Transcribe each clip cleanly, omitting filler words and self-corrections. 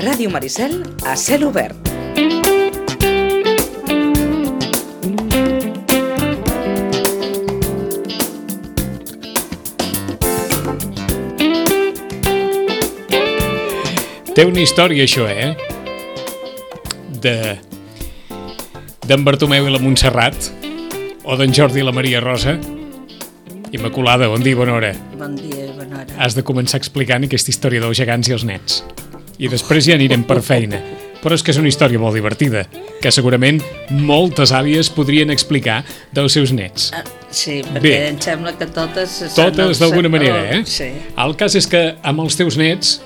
Ràdio Maricel a cel obert. Té una història, això, d'en Bartomeu i la Montserrat, o d'en Jordi i la Maria Rosa. Immaculada, bon dia i bona hora. Bon dia i bona hora. Has de començar explicant aquesta història dels gegants i els nets. I després ja anirem per feina. Però és que és una història molt divertida, que segurament moltes àvies podrien explicar dels seus nets. Sí, perquè Bé. em sembla que totes... Totes d'alguna manera, Sí. El cas és que amb els teus nets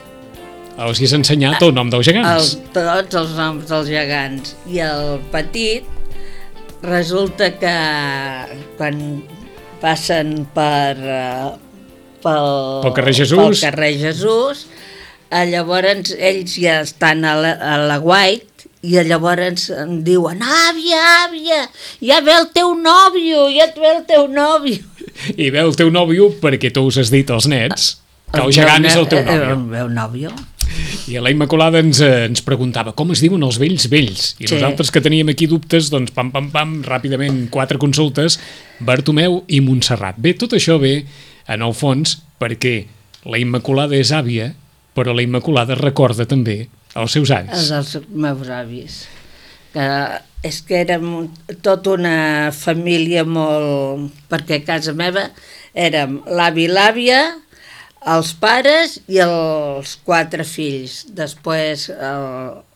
els hi has ensenyat el nom dels gegants. Tots els noms dels gegants. I el petit, resulta que quan passen pel carrer Jesús, llavors ells ja estan a la White i llavors em diuen: àvia, ja ve el teu nòvio, I ve el teu nòvio perquè tu us has dit als nets que el gegant és el teu nòvio. El meu nòvio. I la Immaculada ens preguntava com es diuen els vells. I Sí. nosaltres que teníem aquí dubtes, doncs pam, ràpidament 4 consultes, Bartomeu i Montserrat. Bé, tot això ve, en el fons, perquè la Immaculada és àvia, però la Immaculada recorda també els seus avis. Els meus avis. És que érem tota una família molt... Perquè a casa meva érem l'avi i l'àvia, els pares i els 4 fills. Després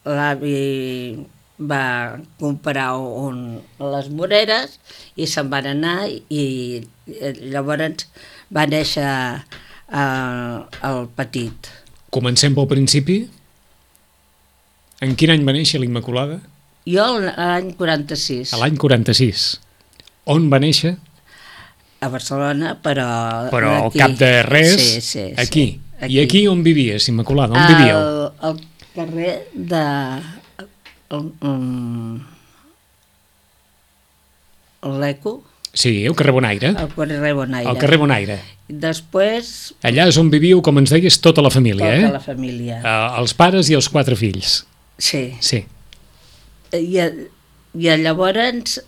l'avi va comprar les Moreres i se'n van anar i llavors va néixer el petit. Comencem pel principi. En quin any va néixer la Immaculada? Jo l'any 46. A l'any 46. On va néixer? A Barcelona, però al cap de res, sí, aquí. Sí, I aquí on vivies, Immaculada? On vivíeu? Al carrer de... l'Eco. Sí, al carrer Bonaire. Al carrer Bonaire. Al carrer Bonaire. Després... Allà és on vivíeu, com ens deies, tota la família, Tota la família. Els pares i els 4 fills. Sí. Sí. I llavors ens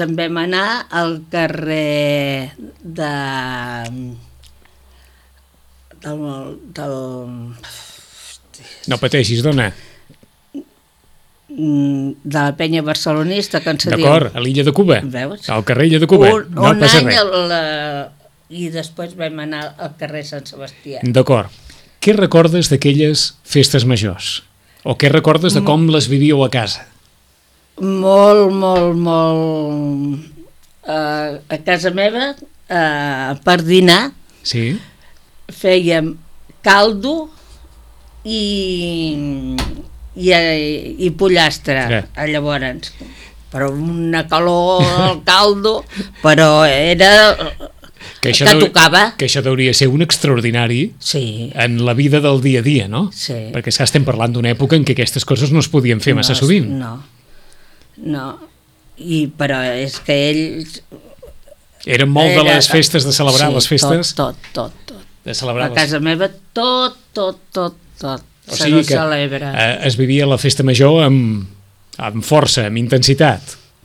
en vam anar al carrer del No pateixis, dona. de la penya barcelonista, que ens diu. D'acord, a l'illa de Cuba. Veus? Al carrer Illa de Cuba. No un passa any res. i després vam anar al carrer Sant Sebastià. D'acord. Què recordes d'aquelles festes majors? O què recordes de com les vivíeu a casa? Molt. A casa meva, per dinar, Sí? fèiem caldo i pollastre, llavors. Però una calor al caldo, però era... Que tocava. Que això hauria ser un extraordinari Sí. en la vida del dia a dia, no? Sí. Perquè estem parlant d'una època en què aquestes coses no es podien fer massa sovint. No. Però és que ells... Eren molt de les festes, de celebrar les festes? Tot. De celebrar A casa meva tot O sigui que celebra. Es vivia la festa major amb força, amb intensitat.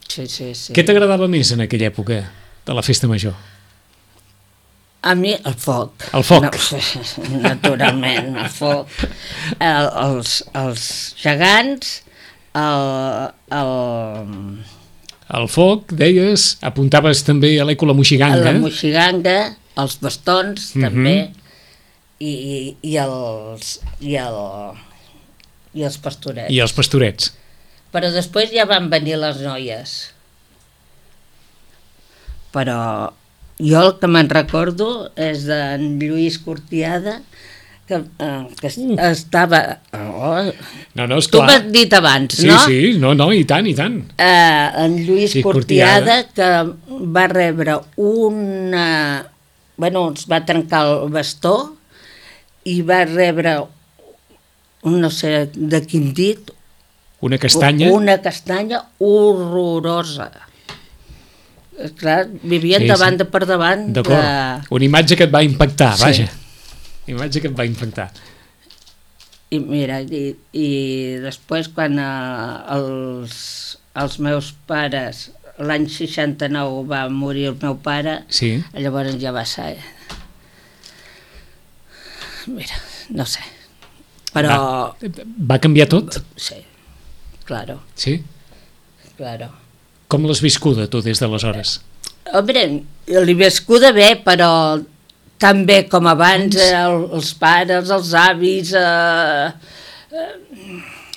Sí. Què t'agradava més en aquella època de la festa major? A mi el foc. El foc. No, naturalment, el foc. Els gegants, El foc, deies, apuntaves també a l'Eco la Moixiganga. la moixiganga, els bastons, també, i els pastorets. I els pastorets. Però després ja van venir les noies. Però jo el que me'n recordo és d'en Lluís Cortiada, que estava... No, és Tu clar. m'has dit abans, Sí, no? sí, no, i tant. En Lluís Sí, Cortiada, que va rebre una... Bueno, ens va trencar el bastó i va rebre, no sé de quin dit, Una castanya. una castanya horrorosa. Clar, vivien davant de per davant. D'acord. Una imatge que et va impactar, Sí. vaja. Imatge que et va impactar. I mira, i després quan els meus pares, l'any 69 va morir el meu pare, Sí. llavors ja va ser... Mira, no sé, però... Va canviar tot? Sí, claro, Sí? claro. Com l'has viscuda, tu, des d'aleshores? Hombre, l'he viscuda bé, però tan bé com abans, els pares, els avis...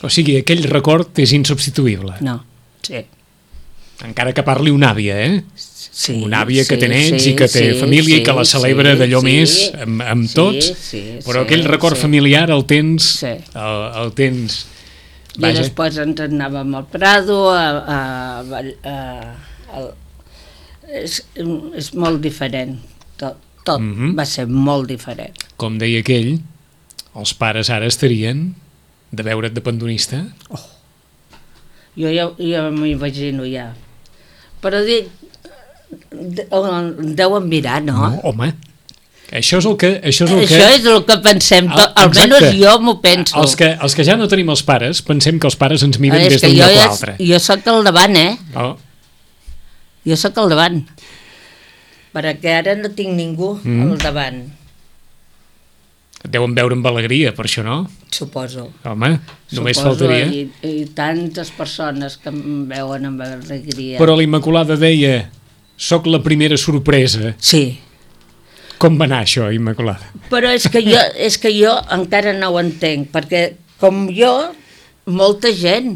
O sigui, aquell record és insubstituïble. No, sí. Encara que parli una àvia, eh? Sí, Una àvia que sí, té nets sí, i que té sí, família sí, i que la celebra sí, d'allò sí, més amb tots, sí, però sí, aquell record sí. familiar el tens... Sí. El tens... I després ens anàvem al Prado, és molt diferent, tot va ser molt diferent. Com deia aquell, els pares ara estarien de veure't de pandonista? Jo ja m'imagino ja. Però dic, deuen mirar, no? No, home, això és el que... Això és el que pensem, almenys Exacte. jo m'ho penso. Els que ja no tenim els pares, pensem que els pares ens miren És des que d'un lloc a l'altre. jo sóc al davant, Oh, Jo sóc al davant. Perquè ara no tinc ningú al davant, et deuen veure amb alegria, per això, no? suposo. Home, només Suposo, faltaria. I tantes persones que em veuen amb alegria. Però la Immaculada deia, soc la primera sorpresa. Sí, Com va anar això, Immaculada? però és que jo encara no ho entenc, perquè com jo, molta gent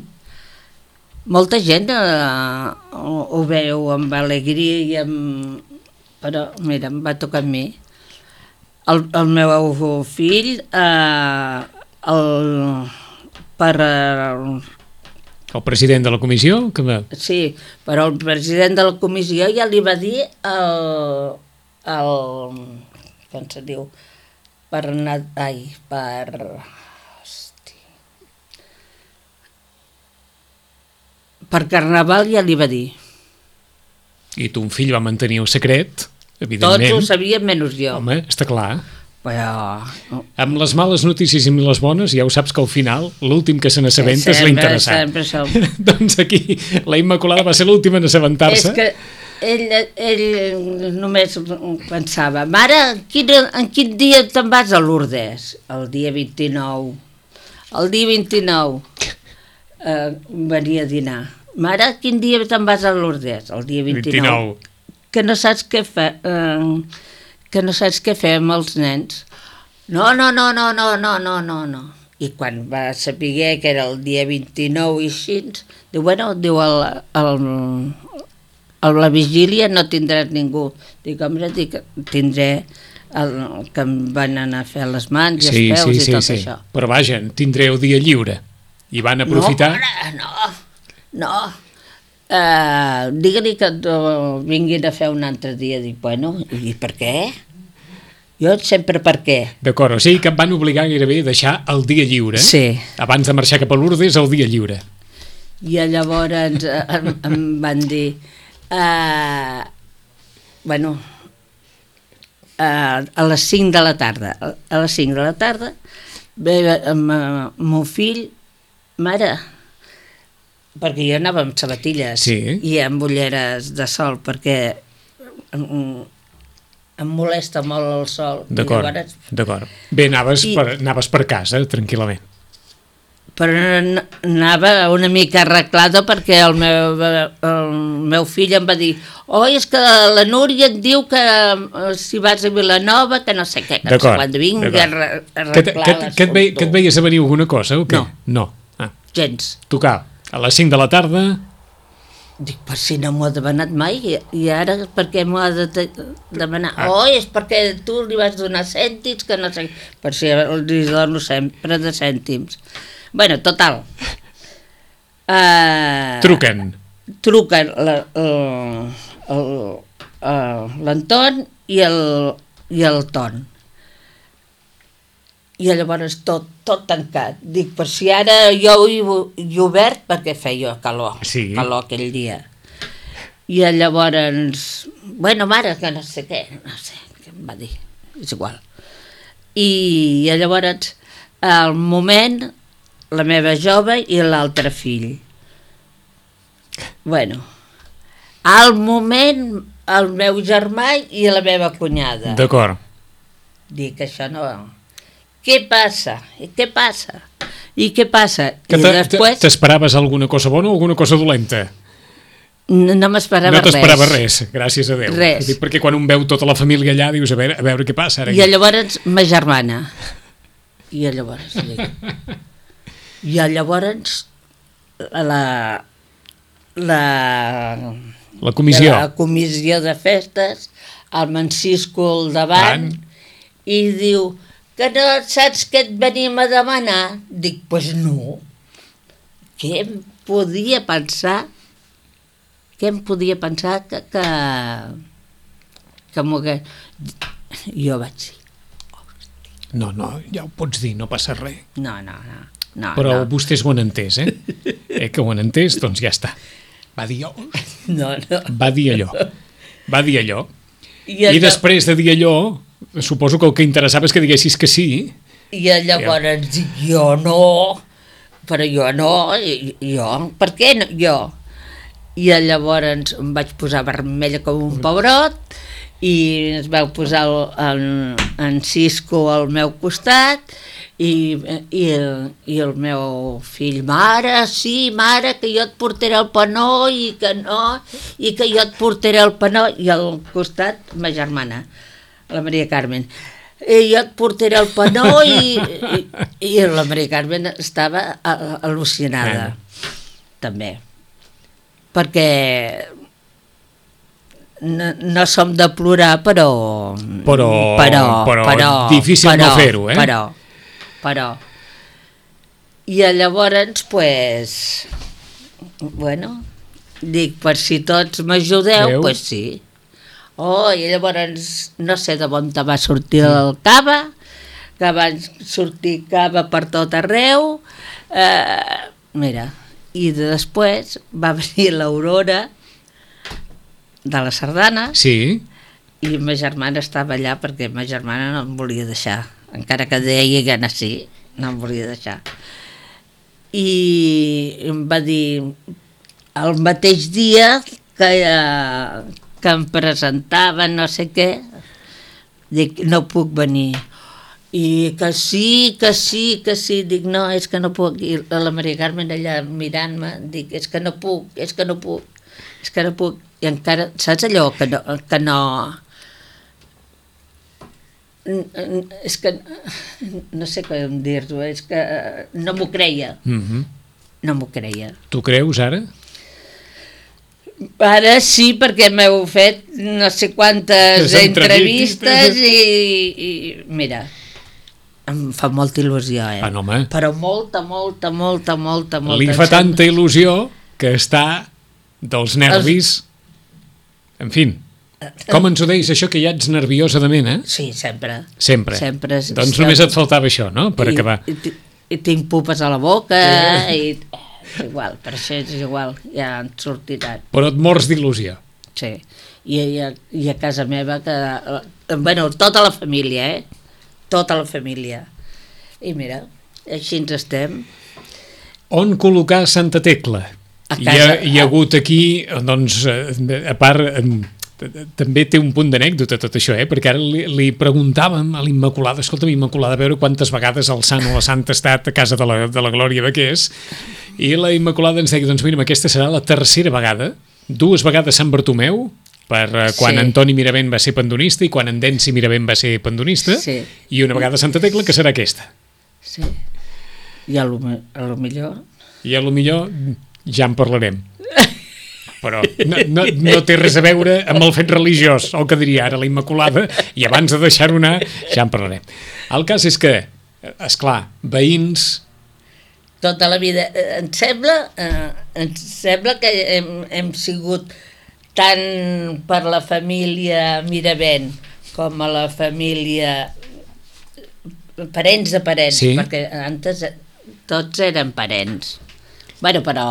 ho veu amb alegria i amb... Però, mira, em va tocar a mi. El meu fill, El president de la comissió? sí, però el president de la comissió ja li va dir com se diu, per Carnaval ja li va dir. I ton fill va mantenir el secret, Tots evidentment. ho sabien menys jo. Home, està clar. Però... Amb les males notícies i amb les bones, ja ho saps que al final l'últim que se n'assabenta és l'interessant. Sempre som. Doncs aquí la Immaculada va ser l'última en assabentar-se. És que ell només pensava, mare, en quin dia te'n vas a Lourdes? El dia 29. El dia 29 venia a dinar. Mare, quin dia te'n vas a Lourdes? El dia 29. Que no saps què fer, que no saps què fer amb els nens. No. I quan va saber que era el dia 29 i així, diu, bueno, diu, a la vigília no tindràs ningú. Dic, home, tindré el que em van anar a fer les mans i els peus i tot això. Però vaja, tindreu dia lliure. I van aprofitar... No. Digue-li que vinguin a fer un altre dia. Dic, bueno, i per què? Jo sempre per què. D'acord, o sigui que em van obligar gairebé a deixar el dia lliure. Sí. Abans de marxar cap a Lourdes, el dia lliure. I llavors em van dir... bueno, a les 5 de la tarda. A les 5 de la tarda ve amb el meu fill, mare, perquè jo anava amb sabatilles i amb ulleres de sol, perquè em molesta molt el sol. D'acord. Bé, anaves per casa, tranquil·lament. Però anava una mica arreglada perquè el meu fill em va dir és que la Núria et diu que si vas a Vilanova, que no sé què, que quan vingui a arreglar que et veies a venir alguna cosa o què? No. Gens. Tocar a les 5 de la tarda... Dic, per si no m'ho ha demanat mai, i ara per què m'ho ha de demanar? És perquè tu li vas donar cèntims, que no sé... Per si li dono sempre de cèntims. Bueno, total. Truquen l'Anton i el Ton. I llavors tot tancat. Dic, per si ara jo he obert, perquè feia calor aquell dia. I llavors, bueno, mare, que no sé què em va dir, és igual. I llavors al moment, la meva jove i l'altre fill. Bueno, al moment, el meu germà i la meva cunyada. D'acord. Dic, això no... Què passa? I què passa? I què passa? Que I després... t'esperaves alguna cosa bona o alguna cosa dolenta? No m'esperava res. No t'esperava res, gràcies a Déu. Res. Dic, perquè quan un veu tota la família allà, dius, a veure què passa ara. I llavors ma germana. I llavors dic... I llavors la comissió. La comissió de festes, el mencisco al davant, i diu que no saps què et venim a demanar? Dic, pues no. Què em podia pensar? Què em podia pensar que m'ho hagués... Jo vaig dir... No, ja ho pots dir, no passa res. No. Però no. vostè és bon entès, eh? Que ho han entès, doncs ja està. Va dir allò. No. Va dir allò. I després de dir allò, suposo que el que interessava és que diguessis que sí. I llavors dic, jo no, però jo no, jo, per què no, jo? I llavors em vaig posar vermella com un pebrot i es vau posar en Cisco al meu costat i el meu fill, mare, sí, mare, que jo et portaré el panó i que no, i que jo et portaré el panó, i al costat ma germana, la Maria Carmen, i jo et portaré el panó i la Maria Carmen estava al·lucinada, també, perquè no som de plorar, però difícil no fer-ho, eh? Però i llavors pues bueno, dic, per si tots m'ajudeu, pues sí. I llavors no sé de on te va sortir el cava, que van sortir cava per tot arreu, mira, i després va venir l'Aurora de la sardana, sí, i ma germana estava allà perquè ma germana no em volia deixar, encara que deia que no, sí, no em volia deixar. I em va dir el mateix dia que em presentaven no sé què, dic, no puc venir. I que sí, dic, no, és que no puc. I la Maria Carmen allà mirant-me, dic, és que no puc. I encara, saps allò que no és que no sé com dir-ho, és que no m'ho creia. No m'ho creia. Tu creus ara? Ara sí, perquè m'heu fet no sé quantes entrevistes i mira, em fa molta il·lusió, però molta. Li fa tanta il·lusió que està dels nervis. En fi, com ens ho deies, això que ja ets nerviosa de mena? Sí, sempre. Doncs només et faltava això, no?, per acabar. I tinc pupes a la boca i igual, per això és igual, ja han sortit ara. Però et mors d'il·lusió. Sí, i a casa meva, bueno, tota la família, tota la família. I mira, així ens estem. On col·locar Santa Tecla? Hi ha hagut aquí, doncs, a part, també té un punt d'anècdota tot això, perquè ara li preguntàvem a l'Immaculada, escolta'm, Immaculada, a veure quantes vegades el sant o la santa ha estat a casa de la Glòria Baqués, i la Immaculada ens deia, doncs mira, aquesta serà la tercera vegada, 2 vegades Sant Bartomeu, per quan Antoni Miravent va ser pandonista i quan en Densi Miravent va ser pandonista, i una vegada Santa Tecla, que serà aquesta. Sí, i a lo millor... I a lo millor ja en parlarem. Però no té res a veure amb el fet religiós, el que diria ara la Immaculada, i abans de deixar-ho anar ja en parlarem. El cas és que, esclar, veïns... Tota la vida. Em sembla que hem sigut tant per la família Miravent com a la família parents de parents, perquè antes tots eren parents. Bueno, però...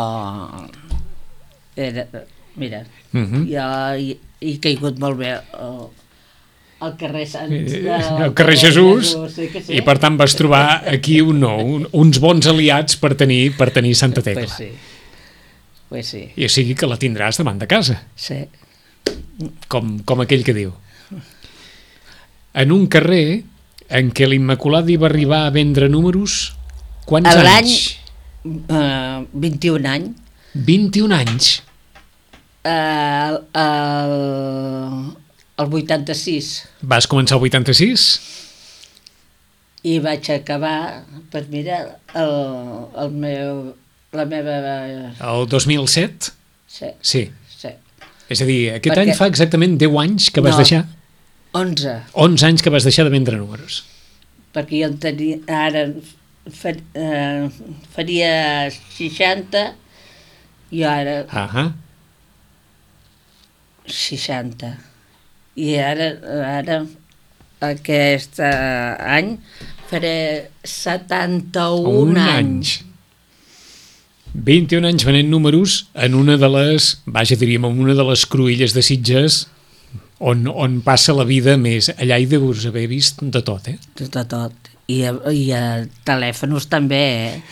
mira, jo he caigut molt bé al carrer al carrer Jesús, sí que sí. i per tant vas trobar aquí uns bons aliats per tenir Santa Tecla. Pues sí. I o sigui que la tindràs davant de casa, Sí. com aquell que diu. En un carrer en què l'Immaculada hi va arribar a vendre números, quants L'any, anys? 21 anys. 21 anys. El 86 Vas començar el 86? i vaig acabar, pues mira, la meva... El 2007? Sí, Sí. sí. És a dir, aquest any fa exactament 10 anys que vas deixar... 11, 11 anys que vas deixar de vendre números. perquè jo en tenia, ara faria 60 i ara 60. I ara aquest any faré 71 anys. 21 anys venent números en una de les, diríem, en una de les cruïlles de Sitges on passa la vida més. Allà hi deus haver vist de tot, eh? De tot. I a telèfons també,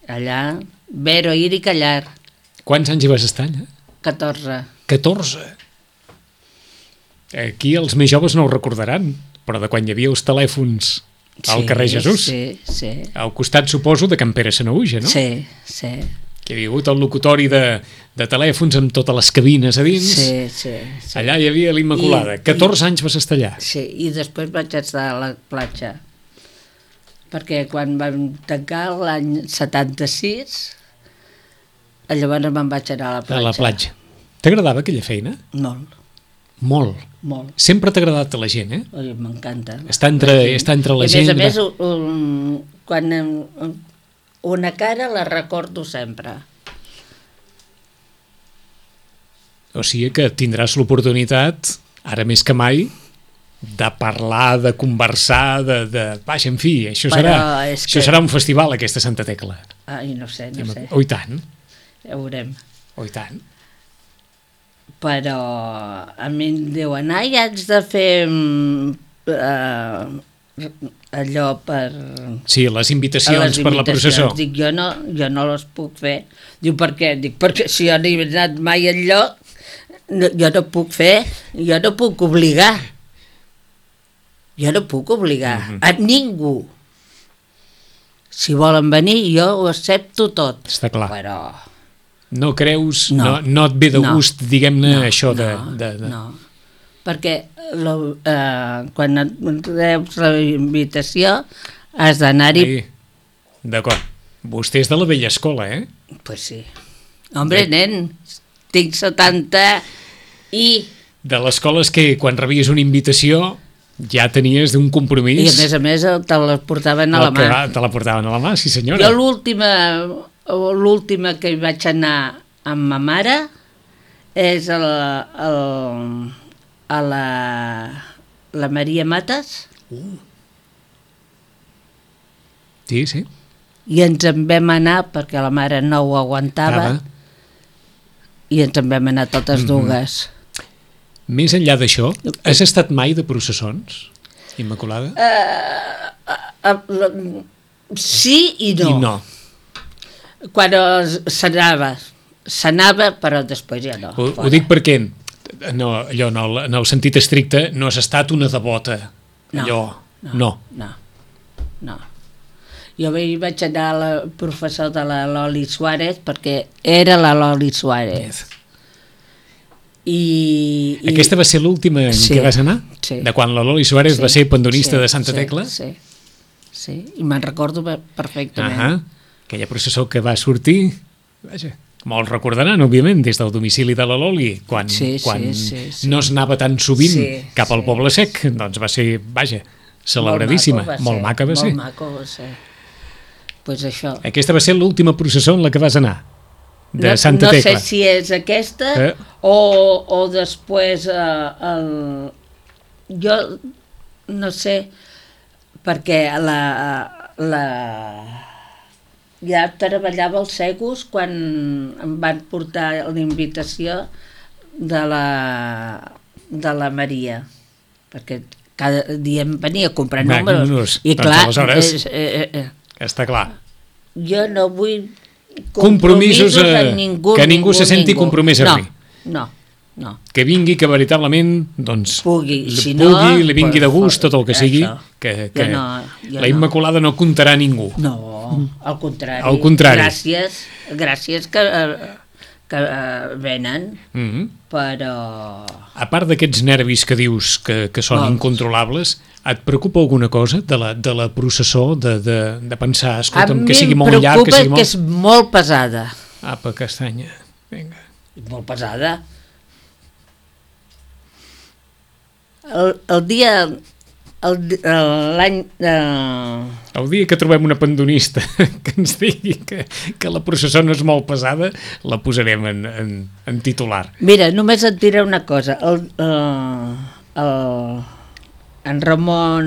Allà, ver, oír i callar. Quants anys hi vas estar, allà? 14. 14. Aquí els més joves no ho recordaran, però de quan hi havia els telèfons al carrer Jesús. Sí, sí. Al costat, suposo, de Can Pere Sanaüja, no? Sí, sí. Que hi havia hagut el locutori de telèfons amb totes les cabines a dins. Sí, sí, sí. Allà hi havia l'Immaculada. 14 anys vas estar allà. Sí, i després vaig estar a la platja. Perquè quan vam tancar l'any 76, llavors me'n vaig anar a la platja. A la platja. T'agradava aquella feina? Molt, Molt. molt. Sempre t'ha agradat a la gent, eh? Oi, m'encanta. Està entre la gent... I a més, quan una cara la recordo sempre. O sigui que tindràs l'oportunitat, ara més que mai, de parlar, de conversar, Vaja, en fi, això serà un festival, aquesta Santa Tecla. Ai, no sé. Oh, i tant. Ja veurem. Oh, i tant. Però a mi em diuen, ai, haig de fer allò per... Sí, les invitacions per la processó. Dic, jo no les puc fer. Diu, per què? Dic, perquè si jo no he anat mai enlloc, jo no puc fer, jo no puc obligar. Jo no puc obligar a ningú. Si volen venir, jo ho accepto tot. Està clar. Però... No creus, no et ve de gust, diguem-ne, això de... No, perquè quan et reps la invitació has d'anar-hi... D'acord. Vostè és de la vella escola, eh? Pues sí. Hombre, nen, tinc 70 i... De l'escola és que quan rebies una invitació ja tenies un compromís... I a més te la portaven a la mà. Te la portaven a la mà, sí senyora. Jo l'última que hi vaig anar amb ma mare és a la Maria Matas. Sí, sí. I ens en vam anar perquè la mare no ho aguantava i ens en vam anar totes dues. Més enllà d'això, has estat mai de processons, Immaculada? Sí i no. I no. Quan s'anava, però després ja no. Ho dic perquè, allò, en el sentit estricte, no has estat una devota. No. Jo vaig anar a la professor de la Loli Suárez perquè era la Loli Suárez. Aquesta va ser l'última en què vas anar? Sí. De quan la Loli Suárez va ser pandonista de Santa Tecla? Sí, i me'n recordo perfectament. Aquella processó que va sortir, vaja, molts recordaran, òbviament, des del domicili de la Loli, quan no es anava tan sovint cap al Poble Sec, doncs va ser, vaja, celebradíssima. Molt maca va ser. Molt maco va ser. Pues això. Aquesta va ser l'última processó en la que vas anar, de Santa Tecla. No sé si és aquesta o després jo no sé, perquè ja treballava als Segos quan em van portar la invitació de la de la Maria, perquè cada dia em venia a comprar Va, números. I doncs clar, aleshores, està clar. Jo no vull Compromisos amb ningú. que ningú se senti compromès amb mi. No. Que vingui, que veritablement doncs, Pugui, si li vingui pues, de gust tot el que sigui, això. que Jo la Immaculada no comptarà a ningú. No, al contrari. Al contrari. Gràcies que venen, però... A part d'aquests nervis que dius que són Molts. incontrolables, et preocupa alguna cosa de la processó, de pensar, A escolta'm, mi que sigui em molt llarg, que preocupa sigui que és molt pesada. Apa, castanya, vinga. Molt pesada. El dia... L'any... El dia que trobem una pandonista que ens digui que la processó no és molt pesada, la posarem en titular. Mira, només et diré una cosa. En Ramon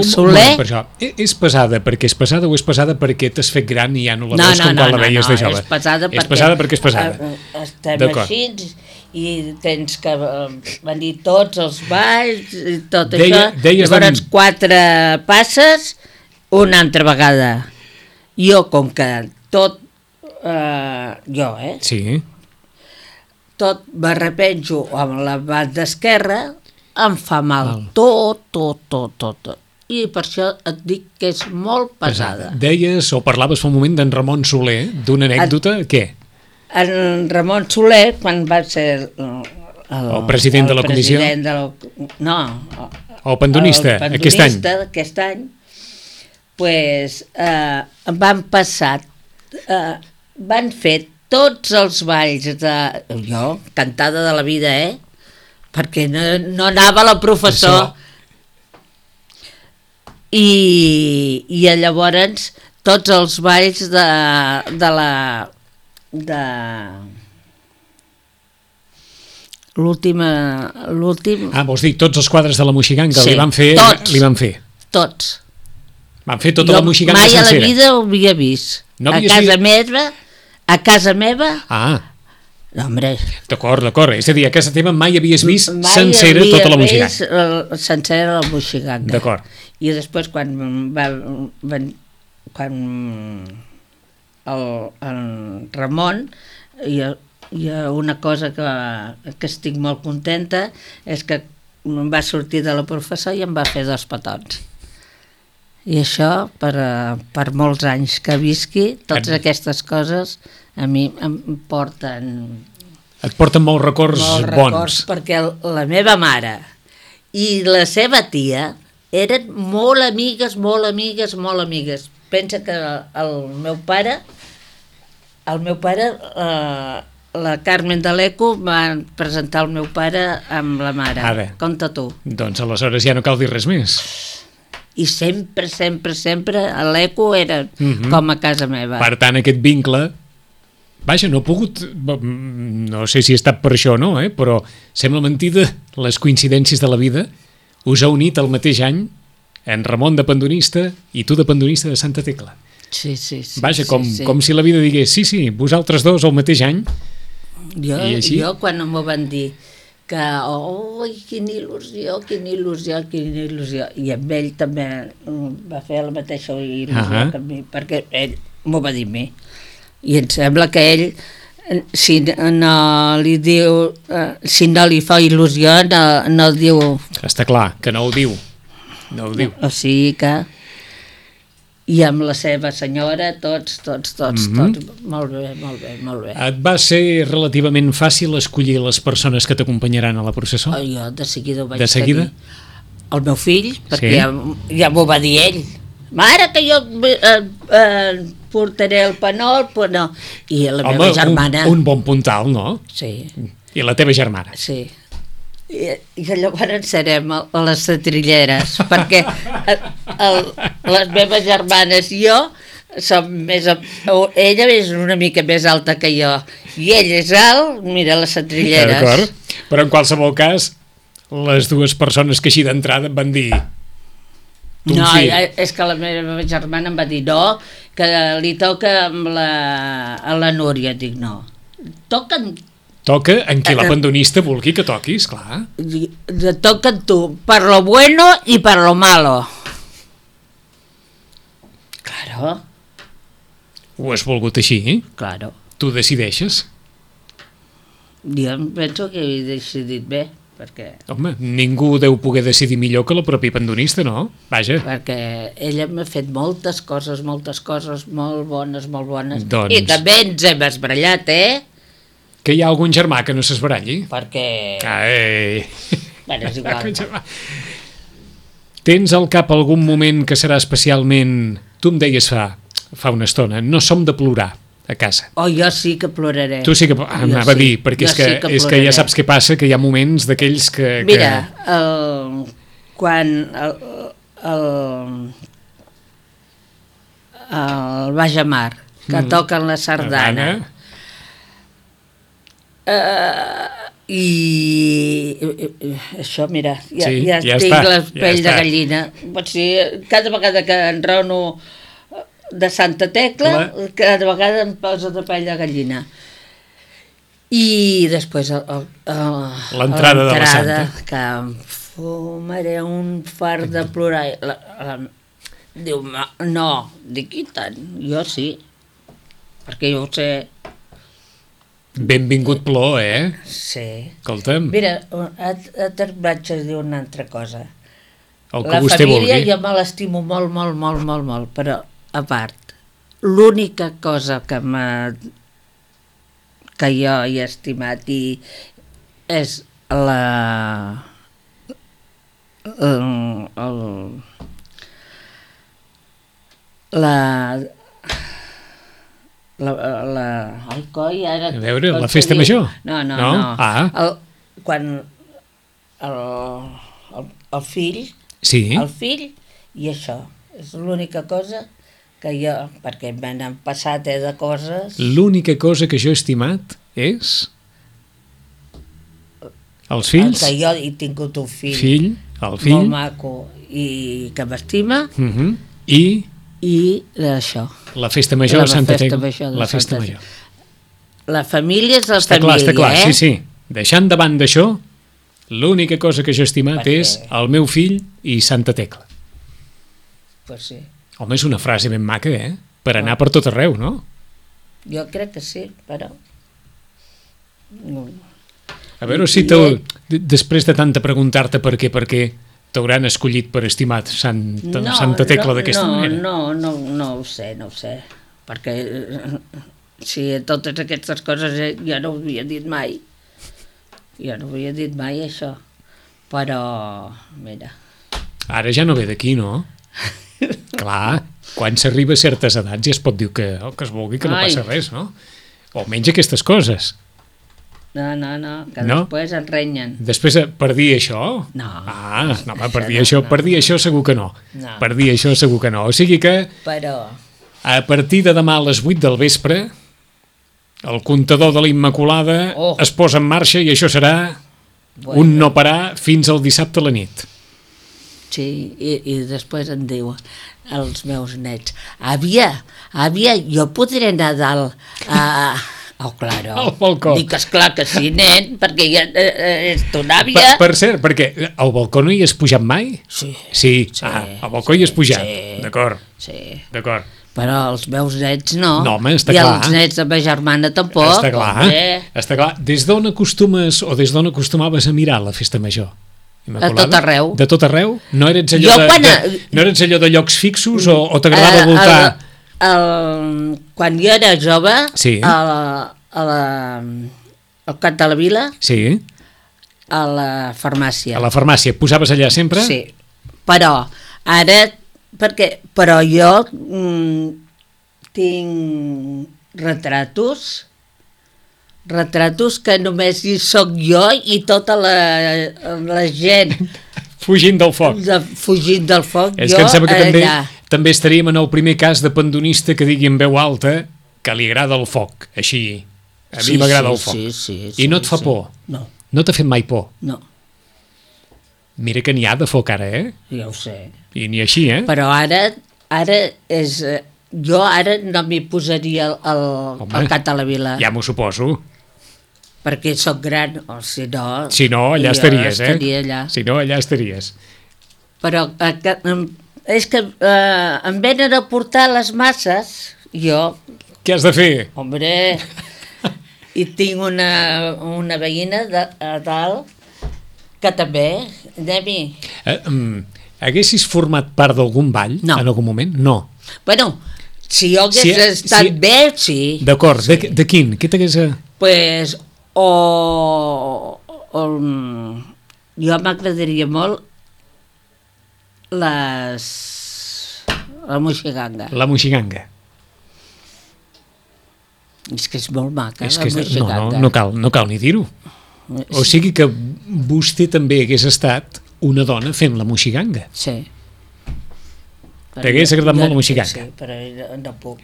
Soler... Per això, és pesada perquè és pesada o és pesada perquè t'has fet gran i ja no la veus com quan la veies de jove? És pesada és pesada perquè és pesada. Estem així i tens que venir tots els balls i tot això. Llavors 4 passes una altra vegada. Jo, com que tot... Sí. Tot m'arrepenjo amb la banda esquerra, em fa mal. Tot. I per això et dic que és molt pesada. Deies o parlaves fa un moment d'en Ramon Soler, d'una anècdota, què? En Ramon Soler, quan va ser el president de la comissió? O pandonista, aquest any? Aquest any, pues, van passar, van fer tots els balls de... Jo, cantada de la vida, perquè no anava la professor. I llavors tots els balls de l'últim... vols dir tots els quadres de la Moixiganga sí, li van fer? Tots. Van fer tota la Moixiganga sencera. Mai a la vida ho havia vist. No a casa meva... No, hombre. D'acord. És a dir, a casa teva mai havies vist sencera tota la Moixiganga. Sencera la Moixiganga. D'acord. I després quan el Ramon, hi ha una cosa que estic molt contenta, és que em va sortir de la professor i em va fer 2 petons. I això, per molts anys que visqui, totes aquestes coses a mi em porten... Et porten molts records bons. Perquè la meva mare i la seva tia eren molt amigues. Pensa que el meu pare, la Carmen de l'Eco va presentar el meu pare amb la mare. Ara. Compte tu. Doncs aleshores ja no cal dir res més. I sempre l'Eco era com a casa meva. Per tant, aquest vincle... Vaja, no he pogut... No sé si ha estat per això o no, però sembla mentida les coincidències de la vida. Us ha unit el mateix any en Ramon de pandonista i tu de pandonista de Santa Tecla. Sí. Vaja, com si la vida digués, sí, vosaltres dos al mateix any. Jo quan m'ho van dir que, quina il·lusió, i amb ell també va fer la mateixa il·lusió que a mi, perquè ell m'ho va dir a mi. I em sembla que ell, si no li fa il·lusió, no el diu. Està clar, que no ho diu. O sigui que... I amb la seva senyora, tots. Molt bé. Et va ser relativament fàcil escollir les persones que t'acompanyaran a la processó? Jo de seguida ho vaig tenir. El meu fill, perquè ja m'ho va dir ell. Mare, que jo portaré el panol, però no. I la meva germana... Un bon puntal, no? Sí. I la teva germana? Sí. I llavors serem a les setrilleres, perquè les meves germanes i jo som més... Ella és una mica més alta que jo, i ell és alt, mira, les setrilleres. D'acord, però en qualsevol cas, les dues persones que així d'entrada van dir... No, és que la meva germana em va dir no, que li toca amb a la Núria. Dic no, toquen Toca en qui l'abandonista vulgui que toquis, clar. Te toca a tu, per lo bueno y per lo malo. Claro, Ho has volgut així? claro. Tu decideixes? Jo em penso que he decidit bé, perquè Home, ningú deu poder decidir millor que la pròpia abandonista, no? Vaja. ella m'ha fet moltes coses molt bones, Doncs- i també ens hem esbrallat, Que hi ha algun germà que no s'esbaralli? perquè Ai. bueno, és igual. Tens al cap algun moment que serà especialment... Tu em deies fa una estona, no som de plorar a casa. Jo sí que ploraré. Tu sí que... Anava a dir, perquè Jo és que ploraré. ja saps què passa, que hi ha moments d'aquells que... Mira, quan el Baix a Mar, que toquen la sardana, i això, mira, ja ja tinc està, la ja pell de està. gallina. Pot ser, cada vegada que enraono de Santa Tecla, cada vegada em poso de pell de gallina. I després l'entrada de la Santa, que em fumaré un fart de plorar. Diu, no, dic, i tant, jo sí, perquè jo ho sé. Benvingut plor, Sí. Escolta'm, Mira, et vaig a dir una altra cosa. el que La vostè família vulgui. jo me l'estimo molt, però a part, l'única cosa que jo he estimat és ai, coi, ara... A veure, com la se festa diu? major? No. Ah. Quan el fill, Sí, el fill i això, és l'única cosa que jo, perquè m'han passat de coses... l'única cosa que jo he estimat és... Els fills, Que jo he tingut un fill, el fill, molt maco i que m'estima, i i això. la festa major La de Santa festa Tecla. major de La festa Santa major. La família és la Està família, clar, sí. Deixant davant d'això, l'única cosa que jo he estimat Perquè- és el meu fill i Santa Tecla. Pues sí, Home, és una frase ben maca, Per anar per tot arreu, no? jo crec que sí, però... A veure si després de tanta preguntar-te per què t'hauran escollit per estimar Santa Tecla d'aquesta manera. No ho sé, perquè si totes aquestes coses jo no ho havia dit mai. Jo no ho havia dit mai, això. Però, mira... Ara ja no ve d'aquí, no? Clar, quan s'arriba a certes edats ja es pot dir que el que es vulgui, que no passa res, no? O almenys aquestes coses. No, que No? després ens renyen. Després, per dir això? No. Ah, no, home, per dir això segur que no. No. Per dir això segur que no. O sigui que Però... a partir de demà a les 8 del vespre el comptador de la Immaculada es posa en marxa i això serà un no parar fins al dissabte a la nit. Sí, i després em diu els meus nets, àvia, jo podré anar a dalt oh, claro. Al balcó. Dic, esclar que sí, nen, perquè ja és ton àvia. Per cert, perquè al balcó no hi has pujat mai? Sí. Al balcó hi has pujat. Sí. D'acord. Sí. D'acord. Però els meus nets no. No, home, està I clar. els nets de ma germana tampoc. Està clar. Està clar. Des d'on acostumes o des d'on acostumaves a mirar la festa major? Immaculada? A tot arreu. De tot arreu? No eres allò, no eres allò de llocs fixos o t'agradava voltar? Quan jo era jove, Sí. al Cap de la Vila, Sí, a la farmàcia. a la farmàcia. Posaves allà sempre? Sí, però ara, però jo tinc retratos que només hi soc jo i tota la gent Fugint del foc. fugint del foc. És que em sembla que també estaríem en el primer cas de pandonista que digui en veu alta que li agrada el foc, així. A mi m'agrada el foc. I no et fa por? No. No t'ha fet mai por? No, Mira que n'hi ha de foc ara, ja ho sé. I ni així, Però ara és... Jo ara no m'hi posaria al Cap de la Vila. Ja m'ho suposo. perquè sóc gran, o si no... Si no, allà jo estaries, estaria allà. Si no, allà estaries. Però és que em venen a portar les masses, jo... Què has de fer? Hombre, i tinc una veïna a dalt que també, anem-hi. Haguessis format part d'algun ball No. en algun moment? No. Bueno, si jo hagués estat bé, sí. D'acord, Sí. de quin? Què t'hagués... Pues, jo m'agradaria molt la moixiganga. La moixiganga. És que és molt maca, És la que moixiganga. no cal ni dir-ho. O sigui que vostè també hagués estat una dona fent la moixiganga. Sí. T'hagués agradat molt la moixiganga? Sí, però no puc.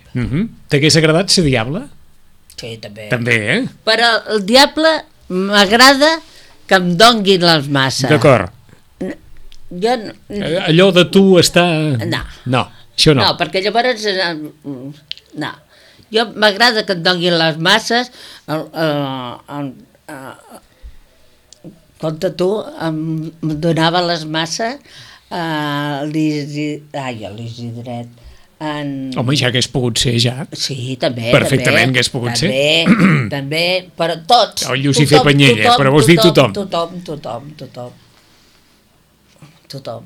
T'hagués agradat ser diable? Sí, també. També, Però el diable m'agrada que em donguin les masses. D'acord. Jo... Allò de tu està... No. No, això no. No, perquè llavors... No. Jo m'agrada que et donguin les masses. Compte tu, em donava les masses a l'Isidret. Home, ja hagués pogut ser, ja. Sí, també. Perfectament també, hagués pogut ser. També, però tots. El Llucifer Panyella, però vols dir tothom. Tothom.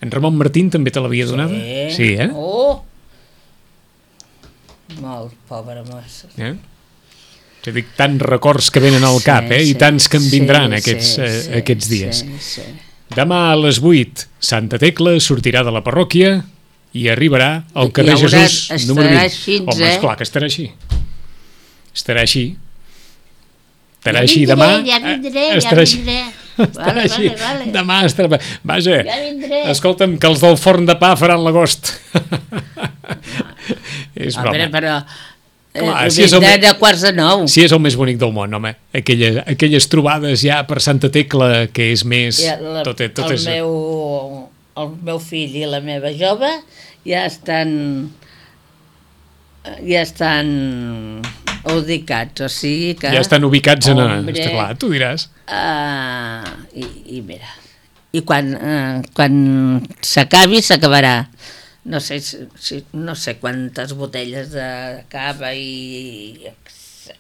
En Ramon Martín també te l'havia donada? Sí, Oh! Molt, pobra massa. Ja dic, tants records que venen al cap, i tants que en vindran aquests dies. Sí. Demà a les 8, Santa Tecla sortirà de la parròquia i arribarà al carrer Jesús número 20. Així, home, esclar que estarà així. Estarà així. Estarà així demà. Ja vindré. Estarà així. Vale. Demà estarà... Vaja, ja vindré. Escolta'm, que els del forn de pa faran l'agost. És broma. Però... Clar, de 8:45. Si és el més bonic del món, home. Aquelles trobades ja per Santa Tecla, que és més... El meu fill i la meva jove ja estan ubicats, o sigui que... Ja estan ubicats en... Està clar, tu diràs. I mira, i quan s'acabi, s'acabarà. No sé quantes botelles de cava i... És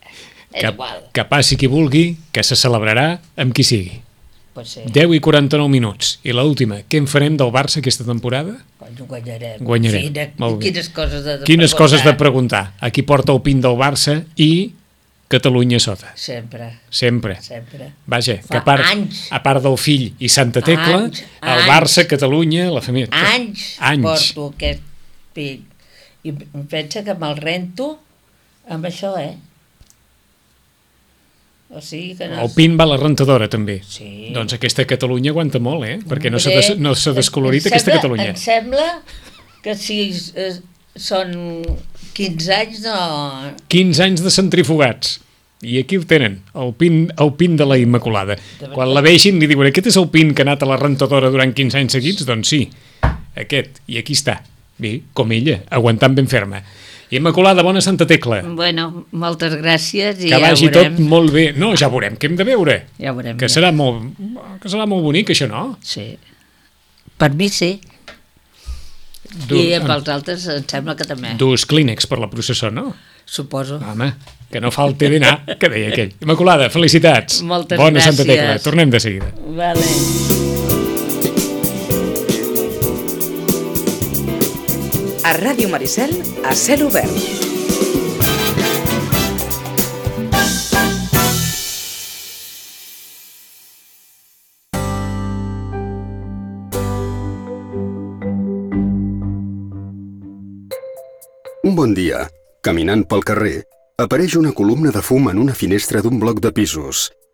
igual. Que passi qui vulgui, que se celebrarà amb qui sigui. Pues sí. 10:49 minuts. I l'última, què en farem del Barça aquesta temporada? Guanyarem. Molt bé. Quines coses de preguntar. Aquí porta el pin del Barça i Catalunya sota. Sempre. Vaja, que a part del fill i Santa Tecla, el Barça, Catalunya, la família... Anys porto aquest pin. I pensa que me'l rento amb això, O sigui que no... El pin va a la rentadora, també. Sí. Doncs aquesta Catalunya aguanta molt, perquè no s'ha descolorit aquesta Catalunya. Em sembla que si són 15 anys, no... 15 anys de centrifugats. I aquí ho tenen, el pin de la Immaculada. Quan la vegin li diuen, aquest és el pin que ha anat a la rentadora durant 15 anys seguits? Doncs sí, aquest. I aquí està. Bé, com ella, aguantant ben ferma. Immaculada, bona Santa Tecla. Bueno, moltes gràcies i que vagi tot molt bé. No, ja veurem, què hem de veure? Ja veurem. Que serà molt bonic, això, no? Sí. Per mi sí. I pels altres em sembla que també. Dus clínex per la processó, no? Suposo. Home, que no falti dinar, que deia aquell. Immaculada, felicitats. Moltes bona gràcies. Santa Tecla, tornem de seguida. Vale. A Ràdio Maricel, a cel obert. Un bon dia, caminant pel carrer, apareix una columna de fum en una finestra d'un bloc de pisos